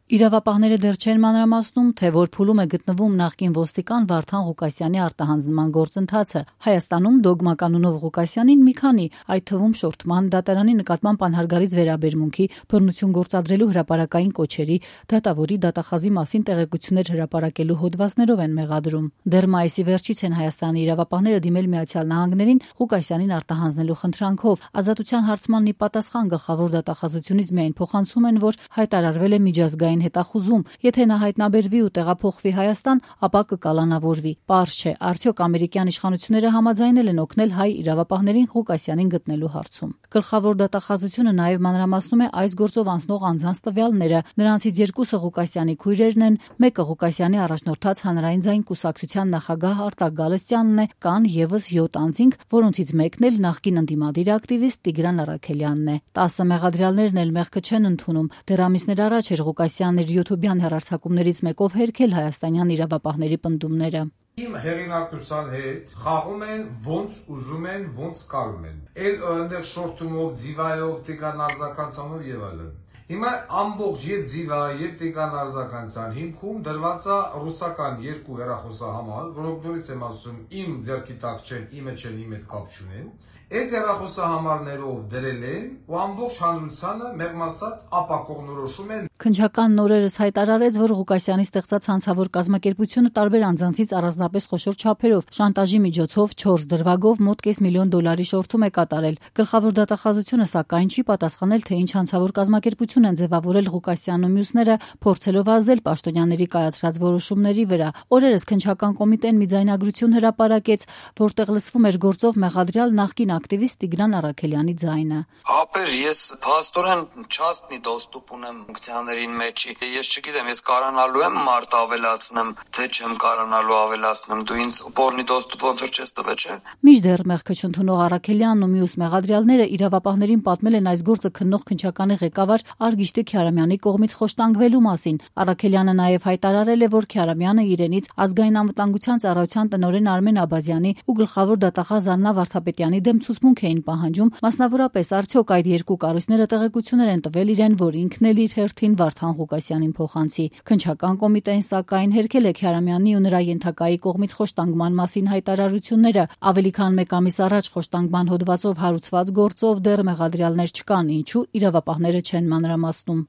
Իրավապահները դեռ չեն մանրամասնում, թե որ փուլում է գտնվում նախկին ոստիկան Վարդան Ղուկասյանի արտահանձնման գործընթացը։ Հայաստանում Դոգմա կանոնով Ղուկասյանին մի քանի, այդ թվում շորթման, դատարանի նկատմամբ անհարգալից վերաբերմունքի, բռնություն գործադրելու հրապարակային կոչերի, դատավորի դատախազի մասին տեղեկություններ հրապարակելու հոդվածներով են մեղադրում։ Դեռ մայիսի վերջից են Հայաստանի իրավապահները դիմել Միացյալ Նահանգներին Ղուկասյանին արտահանձնելու խնդրանքով։ Ազատության հարցման ի պատասխան գլխավոր դատախազությունից միայն փոխանցում են, որ հայտարարվել է միջազգային հետախուզում, եթե նա հայտնաբերվի ու տեղափոխվի Հայաստան, ապա կկալանավորվի։ Պարզ չէ, արդյոք ամերիկյան իշխանությունները համաձայնել են օգնել հայ իրավապահներին Ղուկասյանին գտնելու հարցում։ Գլխավոր դատախազությունը նաև մանրամասնում է այս գործով անցնող անձանց տվյալները։ Նրանցից երկուսը Ղուկասյանի քույրերն են, մեկը Ղուկասյանի առաջնորդած Հանրային ձայն կուսակցության նախագահ Արտակ Գալստյանն է, կան եւս 7 անձինք, որոնցից մեկն էլ նախկին ընդդիմադիր ակտիվիստ Տիգրան Առաքելյանն է։ 10 մեղադրյալներն էլ մեղքը չեն ընդունում։ Դեռ ամիսներ առաջ էր Ղուկասյանն իր յութուբյան հեռարձակումներից մեկով հերքել հայաստանյան իրավապահների պնդումները։ Իմ հեղինակության հետ խաղում են ոնց ուզում են, ոնց կարում են։ Էլ այնտեղ շորթումով, ձիվայով, Տիգրան արձականցանով եւ այլն։ Հիմա ամբողջ եւ ձիվա եւ Տիգրան արձականցան հիմքում դրված է ռուսական երկու հեռախոսահամար, որոնք նորից եմ ասում, իմ ձեռքի տակ չեն, իմը չեն, իմ հետ կապ չունեն։ Այդ հեռախոսահամարներով դրել են ու ամբողջ հանրությանը մեղմ ասած ապակողնորոշում են։ Քննչական նորերս հայտարարեց, որ Ղուկասյանի ստեղծած հանցավոր կազմակերպությունը տարբեր անձանցից առանձնապես խոշոր չափերով, շանտաժի միջոցով 4 դրվագով մոտ $500,000 շորթում է կատարել։ Գլխավոր դատախազությունը սակայն չի պատասխանել, թե ինչ հանցավոր կազմակերպություն են ձևավորել Ղուկասյանն ու մյուսները, փորձելով ազդել պաշտոնյաների կայացրած որոշումների վրա։ Օրերս քննչական կոմիտեն մի ձայնագրություն հրապարակեց, որտեղ լսվում էր գործով մեղադրյալ նախկին ակտիվիստ Տիգրան Առաքելյանի ձայնը։ Ապեր ես փաստորեն չաստնի դոստուպ ունեմ ֆունկցիաներին մեջի։ Ես չգիտեմ, ես կարանալու եմ մարդ ավելացնեմ, թե չեմ կարանալու ավելացնեմ։ Դու ինձ պորնի դոստուպ ոնց որ չես տվել, չէ՞։ Մինչդեռ մեղքը չընդունող Առաքելյանն ու մյուս մեղադրյալները իրավապահներին պատմել են այս գործը քննող քննչականի ղեկավար Արգիշտի Քյարամյանի կողմից խոշտանգվելու մասին։ Առաքելյանը նաև հայտարարել է, որ Քյարամյանը իրենից ազգային անվտանգության ծառայության տնօրեն Արմեն Աբազյանի ու գլխավոր դատախազ Աննա Վարդապետյանի դեմ ցուցմունք էին պահանջում, մասնավորապես արդյոք այդ երկու կառույցները տեղեկություններ են տվել իրեն, որ ինքն էլ իր հերթին Վարդան Ղուկասյանին փոխանցի։ Քննչական կոմիտեն սակայն հերքել է Քյարամյանի ու նրա ենթակայի կողմից խոշտանգման մասին հայտարարությունները։ Ավելի քան 1 ամիս առաջ խոշտանգման հոդվածով հարուցված գործով դեռ մեղադրյալներ չկան, ինչու իրավապահները չեն մանրամասնում։